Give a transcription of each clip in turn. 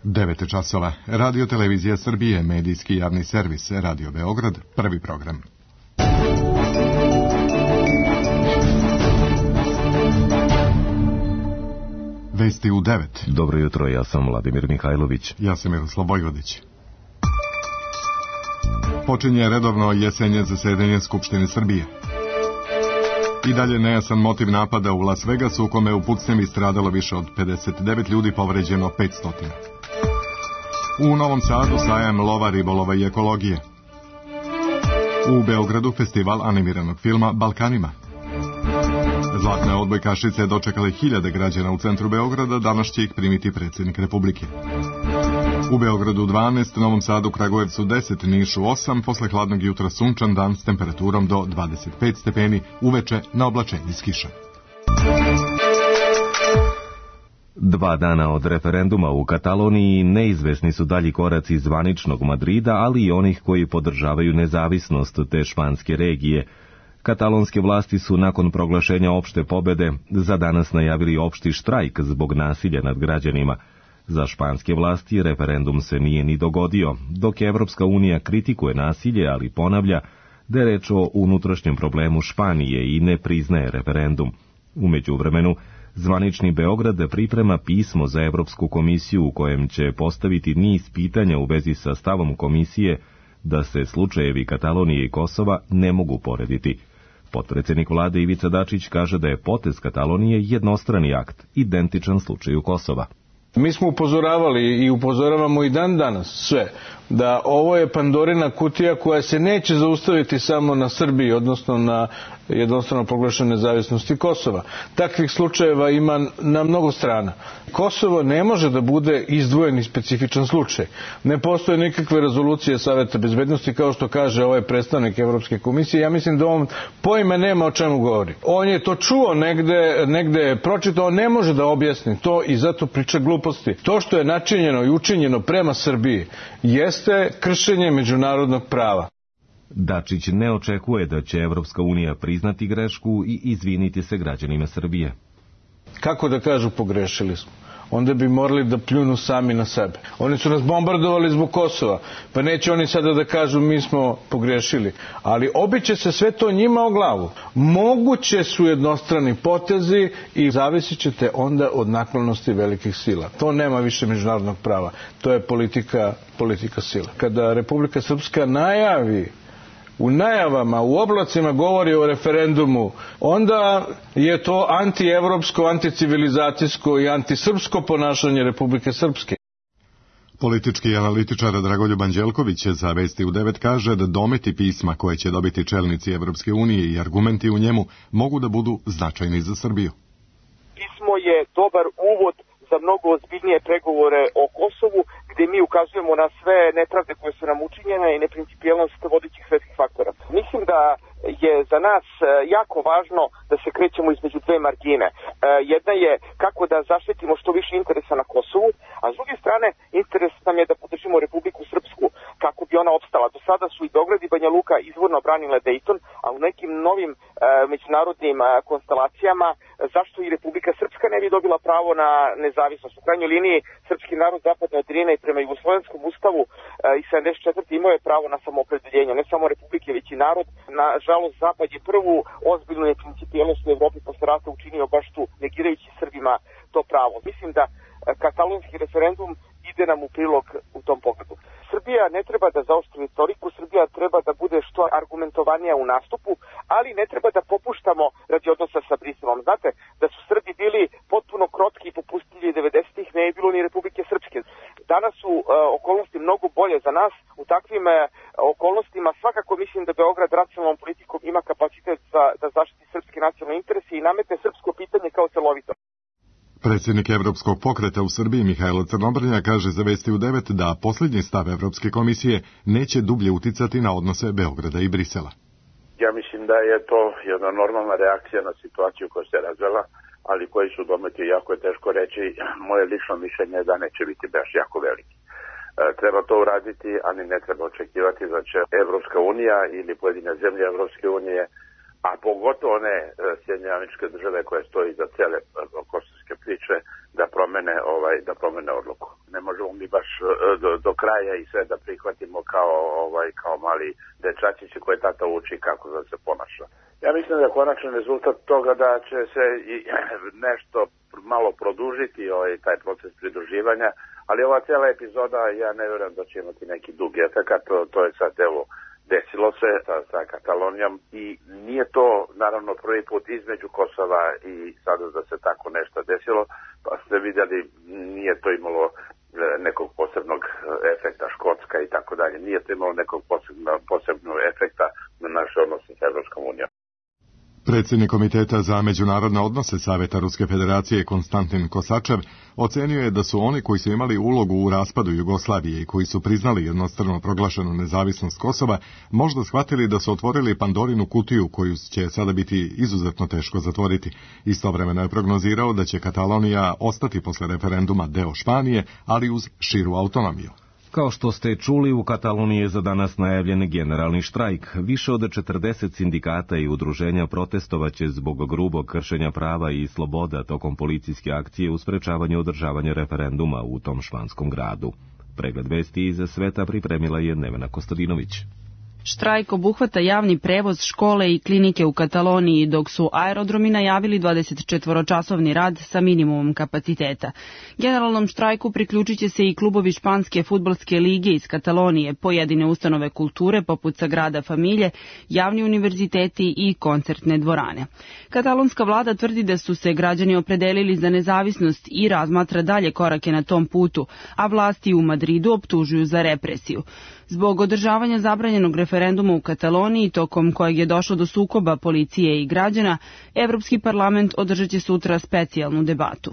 9 časova. Radio Televizija Srbije, medijski javni servis, Radio Beograd, prvi program. Vesti u 9. Dobro jutro, ja sam Vladimir Mihajlović. Ja sam Miroslav Vojvodić. Počinje redovno jesenje zasedanje Skupštine Srbije. I dalje nejasan motiv napada u Las Vegasu, u kome u pucnjevi stradalo više od 59 ljudi, povređeno 500. U Novom Sadu sajam lova, ribolova i ekologije. U Beogradu festival animiranog filma Balkanima. Zlatne odbojkašice dočekale hiljade građana u centru Beograda, danas će ih primiti predsjednik Republike. U Beogradu 12, Novom Sadu, Kragujevcu 10, Nišu 8, posle hladnog jutra sunčan dan s temperaturom do 25 stepeni, uveče na oblačenje s kišom. 2 dana od referenduma u Kataloniji neizvesni su dalji koraci zvaničnog Madrida, ali i onih koji podržavaju nezavisnost te španske regije. Katalonske vlasti su nakon proglašenja opšte pobede za danas najavili opšti štrajk zbog nasilja nad građanima. Za španske vlasti referendum se nije ni dogodio, dok Evropska unija kritikuje nasilje, ali ponavlja da je reč o unutrašnjem problemu Španije i ne priznaje referendum. U međuvremenu, zvanični Beograd priprema pismo za Evropsku komisiju u kojem će postaviti niz pitanja u vezi sa stavom komisije da se slučajevi Katalonije i Kosova ne mogu porediti. Potpredsjednik vlade Ivica Dačić kaže da je potez Katalonije jednostrani akt, identičan slučaju Kosova. Mi smo upozoravali i upozoravamo i dan danas sve da ovo je Pandorina kutija koja se neće zaustaviti samo na Srbiji, odnosno na jednostrano proglašene nezavisnosti Kosova. Takvih slučajeva ima na mnogo strana. Kosovo ne može da bude izdvojen i specifičan slučaj. Ne postoje nikakve rezolucije Saveta bezbednosti, kao što kaže ovaj predstavnik Evropske komisije. Ja mislim da on pojma nema o čemu govori. On je to čuo negde je pročitao, ne može da objasni to i zato priča gluposti. To što je načinjeno i učinjeno prema Srbiji jeste kršenje međunarodnog prava. Dačić ne očekuje da će Evropska unija priznati grešku i izviniti se građanima Srbije. Kako da kažu pogrešili smo? Onda bi morali da pljunu sami na sebe. Oni su nas bombardovali zbog Kosova, pa neće oni sada da kažu mi smo pogrešili. Ali obiće se sve to njima o glavu. Moguće su jednostrani potezi i zavisit ćete onda od naklonosti velikih sila. To nema više međunarodnog prava. To je politika sila. Kada Republika Srpska najavi, u najavama, u oblacima govori o referendumu, onda je to antievropsko, anticivilizacijsko i antisrpsko ponašanje Republike Srpske. Politički analitičar Dragoljub Anđelković za Vesti u 9 kaže da dometi pisma koje će dobiti čelnici Evropske unije i argumenti u njemu mogu da budu značajni za Srbiju. Pismo je dobar uvod za mnogo ozbiljnije pregovore o Kosovu, gdje mi ukazujemo na sve nepravde koje su nam učinjene i neprincipijelnost vodećih svetskih faktora. Mislim da je za nas jako važno da se krećemo između dve margine. Jedna je kako da zaštitimo što više interesa na Kosovu, a s druge strane interes nam je da podržimo Republiku Srpsku kako bi ona opstala. Do sada su i Beograd i Banja Luka izvorno branile Dejton, a u nekim novim međunarodnim konstelacijama zašto i Republika Srpska ne bi dobila pravo na nezavisnost. U krajnjoj liniji srpski narod zapadne od Drine i prema Jugoslovenskom ustavu i 74. imao je pravo na samoopredeljenje, ne samo Republike, već i narod. Nažalost, Zapad je prvu ozbiljnu neprincipijelnost u Evropi posle rata učinio baš tu, negirajući Srbima to pravo. Mislim da katalonski referendum ide nam u prilog u tom pogledu. Srbija ne treba da zaoštri retoriku, Srbija treba da bude što argumentovanija u nastupu, ali ne treba da popuštamo radi odnosa sa Briselom. Znate, da su Srbi bili potpuno krotki i popustili 90-ih, ne je bilo ni Republike Srpske. Danas su okolnosti mnogo bolje za nas. U takvim okolnostima svakako mislim da Beograd racionalnom politikom ima kapacitet da zaštiti srpske nacionalne interese i nametne srpsko pitanje kao celovito. Predsjednik Evropskog pokreta u Srbiji Mihajlo Crnobrnja kaže za Vesti u 9 da posljednji stav Evropske komisije neće dublje uticati na odnose Beograda i Brisela. Ja mislim da je to jedna normalna reakcija na situaciju koja se razvela, ali koji su dometi jako je teško reći. Moje lično mišljenje je da neće biti baš jako veliki. Treba to uraditi, ali ne treba očekivati da će Evropska unija ili pojedine zemlje Evropske unije, a pogotovo one Sjedinjene Američke Države koje stoji za cele kosovske priče, da promene odluku. ne možemo mi baš do kraja i sve da prihvatimo kao mali dečačići koje tata uči kako da se ponaša. Ja mislim da je konačan rezultat toga da će se i nešto malo produžiti taj proces pridruživanja, ali ova cijela epizoda, ja ne vjerujem da će imati neki dug efekat, to je sad evo desilo se sa Katalonijom i nije to naravno prvi put između Kosova i sada da se tako nešto desilo, pa ste vidjeli nije to imalo nekog posebnog efekta, Škotska i tako dalje, nije to imalo nekog posebnog efekta na naše odnose s Evropskom unijom. Predsjednik Komiteta za međunarodne odnose Saveta Ruske federacije Konstantin Kosačev ocenio je da su oni koji su imali ulogu u raspadu Jugoslavije i koji su priznali jednostrano proglašenu nezavisnost Kosova možda shvatili da su otvorili Pandorinu kutiju koju će sada biti izuzetno teško zatvoriti. Istovremeno je prognozirao da će Katalonija ostati posle referenduma deo Španije, ali uz širu autonomiju. Kao što ste čuli, u Kataloniji je za danas najavljen generalni štrajk. Više od 40 sindikata i udruženja protestovaće zbog grubog kršenja prava i sloboda tokom policijske akcije u sprečavanju održavanja referenduma u tom španskom gradu. Pregled vesti iz sveta pripremila je Nevena Kostadinović. Štrajk obuhvata javni prevoz, škole i klinike u Kataloniji, dok su aerodromi najavili 24-časovni rad sa minimumom kapaciteta. Generalnom štrajku priključit će se i klubovi španske fudbalske lige iz Katalonije, pojedine ustanove kulture poput Sagrada Familije, javni univerziteti i koncertne dvorane. Katalonska vlada tvrdi da su se građani opredelili za nezavisnost i razmatra dalje korake na tom putu, a vlasti u Madridu optužuju za represiju. Zbog održavanja zabranjenog referenduma u Kataloniji, tokom kojeg je došlo do sukoba policije i građana, Evropski parlament održat će sutra specijalnu debatu.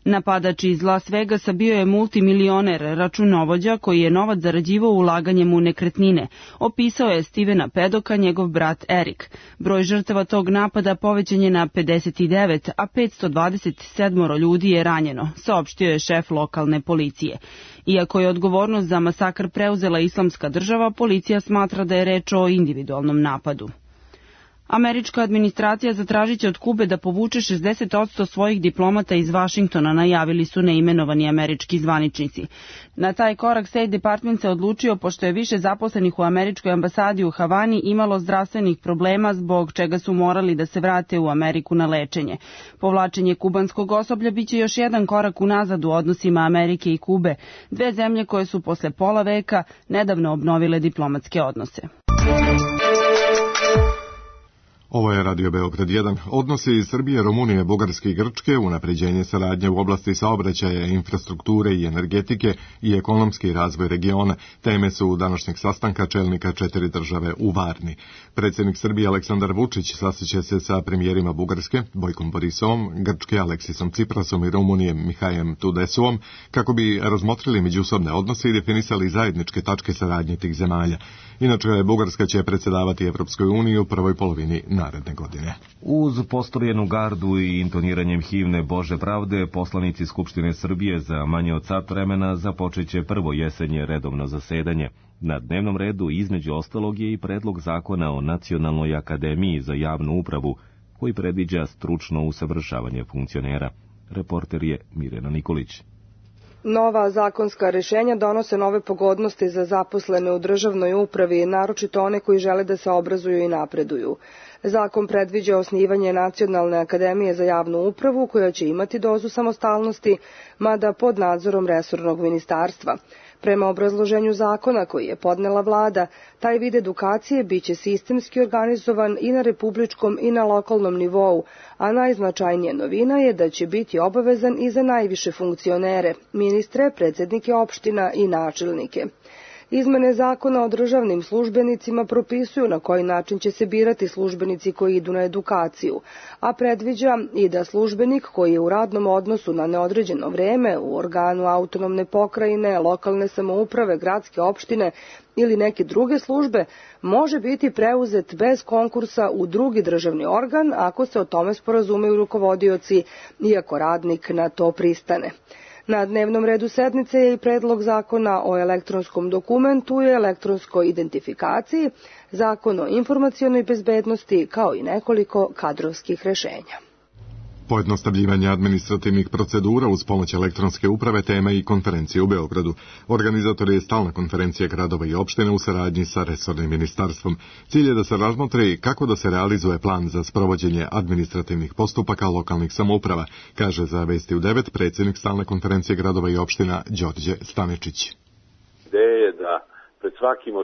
Napadač iz Las Vegasa bio je multimilioner računovođa koji je novac zarađivao ulaganjem u nekretnine, opisao je Stevena Pedoka njegov brat Erik. Broj žrtava tog napada povećan je na 59, a 527 ljudi je ranjeno, saopštio je šef lokalne policije. Iako je odgovornost za masakr preuzela Islamska država, policija smatra da je reč o individualnom napadu. Američka administracija zatražit će od Kube da povuče 60% svojih diplomata iz Vašingtona, najavili su neimenovani američki zvaničnici. Na taj korak State Department se odlučio pošto je više zaposlenih u američkoj ambasadi u Havani imalo zdravstvenih problema zbog čega su morali da se vrate u Ameriku na lečenje. Povlačenje kubanskog osoblja biće još jedan korak unazad u odnosima Amerike i Kube, dve zemlje koje su posle pola veka nedavno obnovile diplomatske odnose. Ovo je Radio Beograd 1. Odnosi iz Srbije, Rumunije, Bugarske i Grčke, unapređenje saradnje u oblasti saobraćaja, infrastrukture i energetike i ekonomski razvoj regiona. Teme su današnjeg sastanka čelnika 4 države u Varni. Predsjednik Srbije Aleksandar Vučić sastaće se sa premijerima Bugarske, Bojkom Borisovom, Grčke Aleksisom Ciprasom i Rumunije Mihajem Tudesovom, kako bi razmotrili međusobne odnose i definisali zajedničke tačke saradnje tih zemalja. Inače, Bugarska će predsjedavati Evropskoj uniji u prvoj polovini naredne godine. Uz postojenu gardu i intoniranjem himne Bože pravde, poslanici Skupštine Srbije za manje od sat vremena započeće prvo jesenje redovno zasedanje. Na dnevnom redu između ostalog je i predlog zakona o Nacionalnoj akademiji za javnu upravu, koji predviđa stručno usavršavanje funkcionera. Reporter je Mirjana Nikolić. Nova zakonska rešenja donose nove pogodnosti za zaposlene u državnoj upravi, naročito one koji žele da se obrazuju i napreduju. Zakon predviđa osnivanje Nacionalne akademije za javnu upravu, koja će imati dozu samostalnosti, mada pod nadzorom resornog ministarstva. Prema obrazloženju zakona koji je podnela vlada, taj vid edukacije biće sistemski organizovan i na republičkom i na lokalnom nivou, a najznačajnija novina je da će biti obavezan i za najviše funkcionere, ministre, predsjednike opština i načelnike. Izmene zakona o državnim službenicima propisuju na koji način će se birati službenici koji idu na edukaciju, a predviđa i da službenik koji je u radnom odnosu na neodređeno vreme u organu autonomne pokrajine, lokalne samouprave, gradske opštine ili neke druge službe može biti preuzet bez konkursa u drugi državni organ ako se o tome sporazumeju rukovodioci i ako radnik na to pristane. Na dnevnom redu sednice je i predlog zakona o elektronskom dokumentu i elektronskoj identifikaciji, zakon o informacionoj bezbednosti, kao i nekoliko kadrovskih rešenja. Pojednostavljivanje administrativnih procedura uz pomoć elektronske uprave tema i konferencije u Beogradu. Organizator je stalna konferencija gradova i opština u saradnji sa resornim ministarstvom. Cilj je da se razmotri kako da se realizuje plan za sprovođenje administrativnih postupaka lokalnih samouprava, kaže za Vesti u 9 predsjednik stalne konferencije gradova i opština Đorđe Stanečić. Ideja je da pred svakim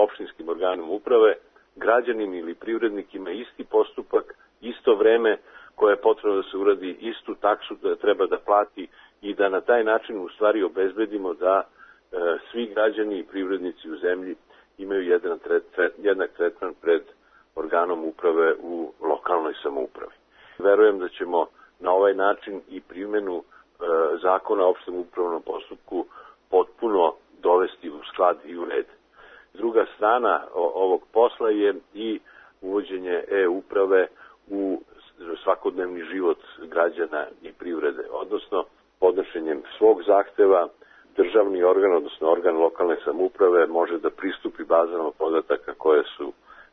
opštinskim organom uprave građanin ili privrednik ima isti postupak, isto vreme koje je potrebno da se uradi, istu taksu da treba da plati i da na taj način u stvari obezbedimo da svi građani i privrednici u zemlji imaju jednak tretman pred organom uprave u lokalnoj samoupravi. Verujem da ćemo na ovaj način i primjenu zakona o opštem upravnom postupku potpuno dovesti u sklad i u red. Druga strana ovog posla je i uvođenje e-uprave u svakodnevni život građana i privrede, odnosno podnošenjem svog zahteva državni organ, odnosno organ lokalne samouprave može da pristupi bazama podataka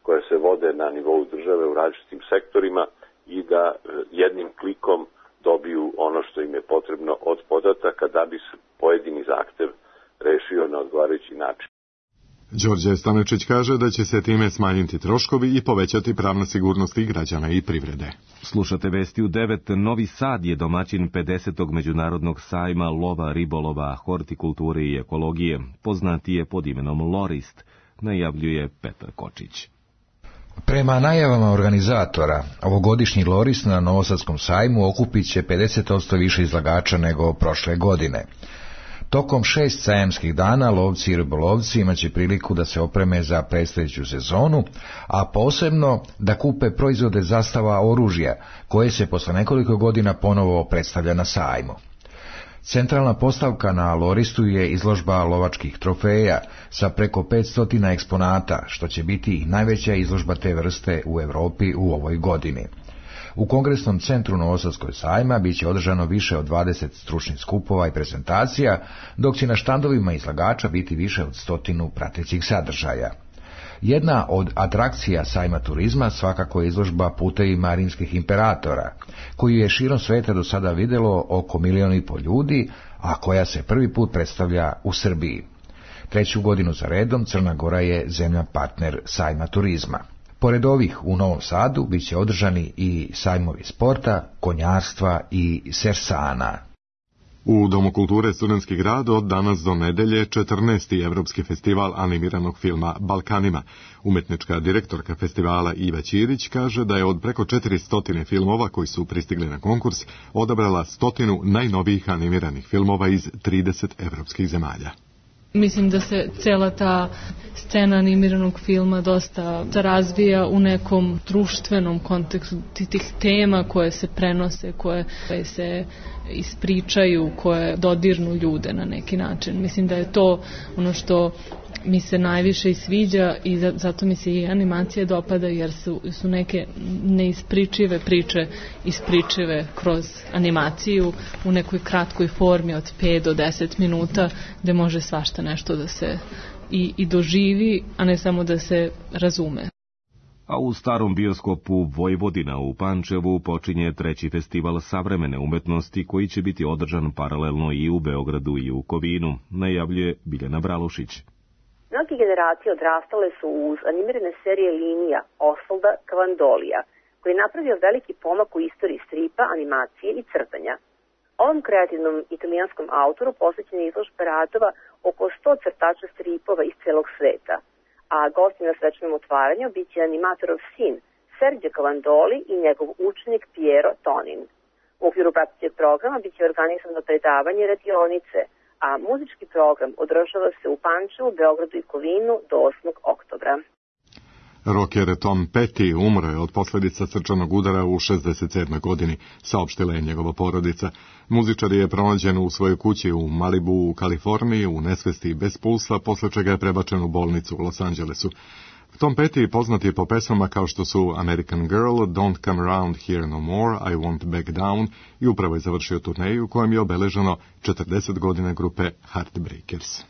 koje se vode na nivou države u različitim sektorima i da jednim klikom dobiju ono što im je potrebno od podataka da bi se pojedini zahtev rešio na odgovarajući način. Đorđe Stanečić kaže da će se time smanjiti troškovi i povećati pravna sigurnost i građana i privrede. Slušate Vesti u 9. Novi Sad je domaćin 50. međunarodnog sajma lova, ribolova, hortikulture i ekologije. Poznati je pod imenom Lorist, najavljuje Petar Kočić. Prema najavama organizatora, ovogodišnji Lorist na Novosadskom sajmu okupit će 50% više izlagača nego prošle godine. Tokom 6 sajamskih dana lovci i ribolovci imaće priliku da se opreme za predstojeću sezonu, a posebno da kupe proizvode zastava oružja, koje se posle nekoliko godina ponovo predstavlja na sajmu. Centralna postavka na Loristu je izložba lovačkih trofeja sa preko 500 eksponata, što će biti najveća izložba te vrste u Evropi u ovoj godini. U Kongresnom centru Novosadskog sajma biće održano više od 20 stručnih skupova i prezentacija, dok će na štandovima izlagača biti više od 100 pratećih sadržaja. Jedna od atrakcija sajma turizma svakako je izložba putevima rimskih imperatora, koju je širom sveta do sada vidjelo oko 1,5 miliona ljudi, a koja se prvi put predstavlja u Srbiji. 3. godinu za redom Crna Gora je zemlja partner sajma turizma. Pored ovih u Novom Sadu bit će održani i sajmovi sporta, konjarstva i sersana. U Domu kulture Studentski grad od danas do nedelje 14. Evropski festival animiranog filma Balkanima. Umetnička direktorka festivala Iva Ćirić kaže da je od preko 400 filmova koji su pristigli na konkurs odabrala 100 najnovijih animiranih filmova iz 30 evropskih zemalja. Mislim da se cela ta scena animiranog filma dosta razvija u nekom društvenom kontekstu tih tema koje se prenose, koje se ispričaju, koje dodirnu ljude na neki način. Mislim da je to ono što mi se najviše i sviđa i zato mi se i animacije dopada, jer su neke neispričive priče ispričive kroz animaciju u nekoj kratkoj formi od 5 do 10 minuta gde može svašta nešto da se i doživi, a ne samo da se razume. A u starom bioskopu Vojvodina u Pančevu počinje 3. festival savremene umetnosti koji će biti održan paralelno i u Beogradu i u Kovinu, najavljuje Biljana Bralušić. Mnogi generacije odrastale su uz animirane serije linija Osvalda Cavandolija, koji je napravio veliki pomak u istoriji stripa, animacije i crtanja. Ovom kreativnom italijanskom autoru posvećena je izložba radova oko 100 crtača stripova iz celog sveta, a gosti na svečanom otvaranju biće animatorov sin Sergio Cavandoli i njegov učenik Piero Tonin. U okviru pratećeg programa biće organizovano predavanje radionice, a muzički program održava se u Pančevu, Beogradu i Kovinu do 8. oktobra. Rocker Tom Petty umro je od posljedica srčanog udara u 67. godini, saopštila je njegova porodica. Muzičar je pronađen u svojoj kući u Malibu u Kaliforniji u nesvesti bez pulsa, posle čega je prebačen u bolnicu u Los Angelesu. Tom Petty poznat je po pesmama kao što su American Girl, Don't Come Around Here No More, I Won't Back Down i upravo je završio turneju u kojem je obeleženo 40 godina grupe Heartbreakers.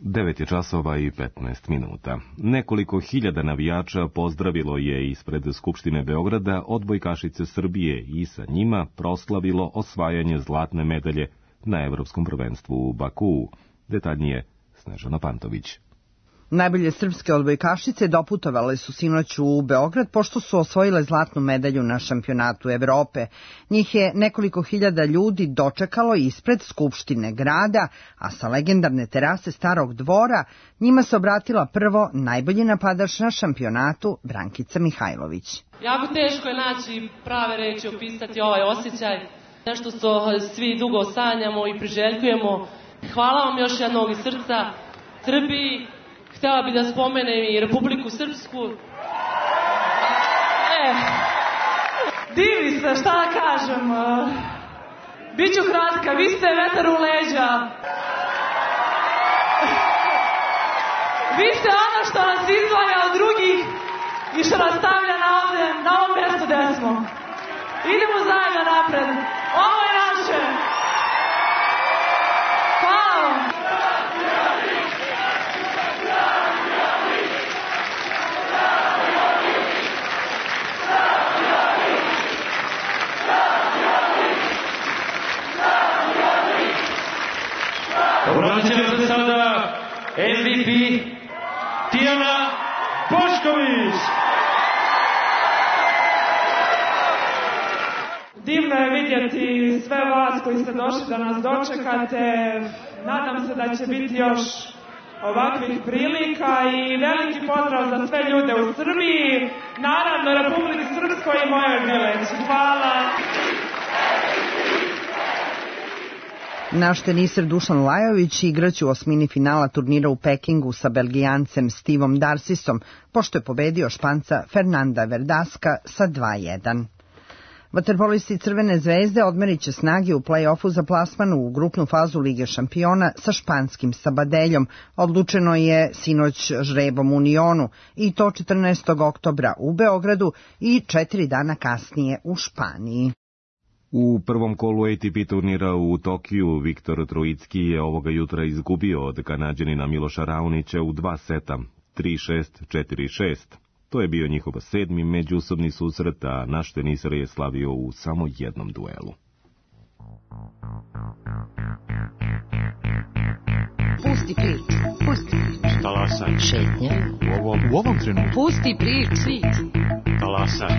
9 je časova i 15 minuta. Nekoliko hiljada navijača pozdravilo je ispred Skupštine Beograda odbojkašice Srbije i sa njima proslavilo osvajanje zlatne medalje na Evropskom prvenstvu u Bakuu. Detaljnije Snežana Pantović. Najbolje srpske odbojkašice doputovale su sinoć u Beograd pošto su osvojile zlatnu medalju na šampionatu Evrope. Njih je nekoliko hiljada ljudi dočekalo ispred Skupštine grada, a sa legendarne terase Starog dvora njima se obratila prvo najbolji napadač na šampionatu Brankica Mihajlović. Jako teško je naći prave reči opisati ovaj osjećaj, nešto što svi dugo sanjamo i priželjkujemo. Hvala vam još jednog iz srca Srbiji. Htjela bih da spomenem i Republiku Srpsku. Divi se, šta da kažem. Biću kratka, vi ste vetar u leđa. Vi ste ono što nas izdvaja od drugih i što nas stavlja na ovom mjestu gde smo. Idemo zajedno napred. Ovo je naše. Hvala vam. Obraća se sada MVP Tijana Bošković. Divno je vidjeti sve vas koji ste došli da nas dočekate. Nadam se da će biti još ovakvih prilika i veliki pozdrav za sve ljude u Srbiji, naravno Republici Srpskoj i mojoj Mileći. Hvala. Naš teniser Dušan Lajović igraće u osmini finala turnira u Pekingu sa Belgijancem Stevom Darcisom, pošto je pobedio Španca Fernanda Verdaska sa 2:1. Vaterpolisti Crvene zvezde odmerit će snage u play-offu za plasman u grupnu fazu Lige šampiona sa španskim Sabadeljom. Odlučeno je sinoć žrebom u Unionu i to 14. oktobra u Beogradu i 4 dana kasnije u Španiji. U prvom kolu ATP turnira u Tokiju Viktor Trojicki je ovoga jutra izgubio od Kanađanina Miloša Raonića u 2 seta, 3-6, 4-6. To je bio njihov 7. međusobni susret, a naš teniser je slavio u samo jednom duelu. Pusti priču, pusti priču. Talasaj. Šetnja. U ovom trenutku. Pusti priču. Talasaj.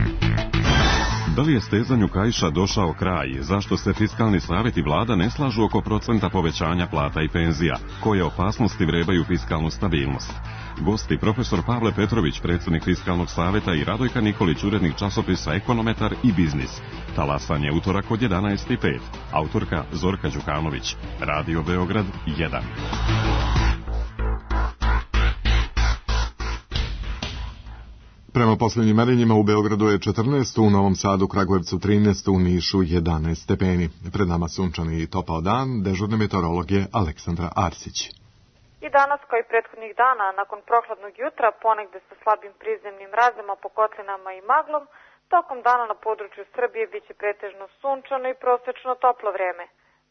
Da li je stezanju kaiša došao kraj? Zašto se Fiskalni savet i vlada ne slažu oko procenta povećanja plata i penzija? Koje opasnosti vrebaju fiskalnu stabilnost? Gosti profesor Pavle Petrović, predsjednik Fiskalnog saveta, i Radojka Nikolić, urednik časopisa Ekonometar i Biznis. Talasanje utorak od 11:05. Autorka Zorka Đukanović. Radio Beograd 1. Prema posljednjim merenjima u Beogradu je 14, u Novom Sadu, Kragujevcu 13, u Nišu 11 stepeni. Pred nama sunčani i topao dan, dežurne meteorolog je Aleksandra Arsić. I danas, kao i prethodnih dana, nakon prohladnog jutra, ponegde sa slabim prizemnim razima po kotlinama i maglom, tokom dana na području Srbije biće pretežno sunčano i prosečno toplo vreme.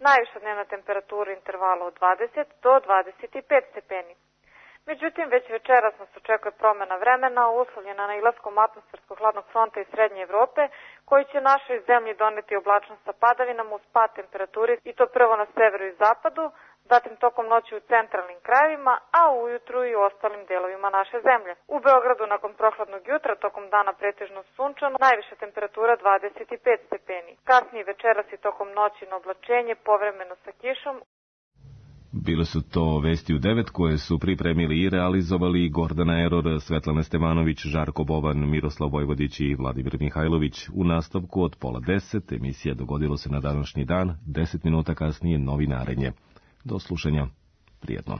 Najviša dnevna temperatura intervala od 20 do 25 stepeni. Međutim, već večeras nas očekuje promjena vremena, uslovljena nailaskom atmosferskog hladnog fronta iz Srednje Evrope, koji će našoj zemlji doneti oblačnost sa padavinama uz pad temperaturi, i to prvo na severu i zapadu, zatim tokom noći u centralnim krajevima, a ujutru i u ostalim delovima naše zemlje. U Beogradu nakon prohladnog jutra tokom dana pretežno sunčano, najviša temperatura 25 stepeni. Kasnije večeras i tokom noći na oblačenje, povremeno sa kišom. Bile su to Vesti u 9 koje su pripremili i realizovali Gordana Eror, Svetlana Stevanović, Žarko Bovan, Miroslav Vojvodić i Vladimir Mihajlović. U nastavku od 9:30 emisija Dogodilo se na današnji dan, 10 minuta kasnije novinarenje. Do slušanja. Prijetno.